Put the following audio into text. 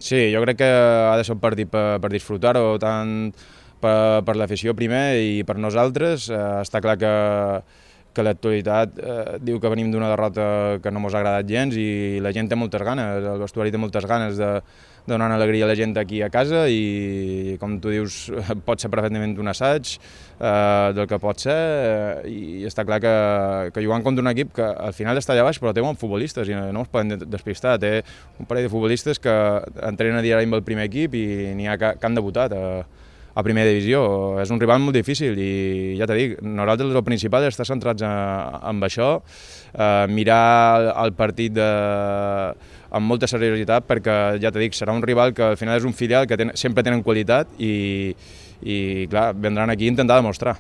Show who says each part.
Speaker 1: Sí, jo crec que ha de ser un partit per disfrutar-ho, tant per l'afició primer i per nosaltres. Està clar que l'actualitat diu que venim d'una derrota que no ens ha agradat gens i la gent té moltes ganes, el vestuari té moltes ganes de donar una alegria a la gent aquí a casa i, com tu dius, pot ser perfectament un assaig del que pot ser i està clar que jugant contra un equip que al final està allà baix però té bons futbolistes i no es poden despistar. Té un parell de futbolistes que entrenen a diari amb el primer equip i n'hi ha que han debutat a primera divisió. És un rival molt difícil i ja t'he dit, nosaltres el principal és estar centrats en això, mirar el partit amb molta seriositat perquè, ja t'he dit, serà un rival que al final és un filial que sempre tenen qualitat i clar, vendran aquí a intentar demostrar.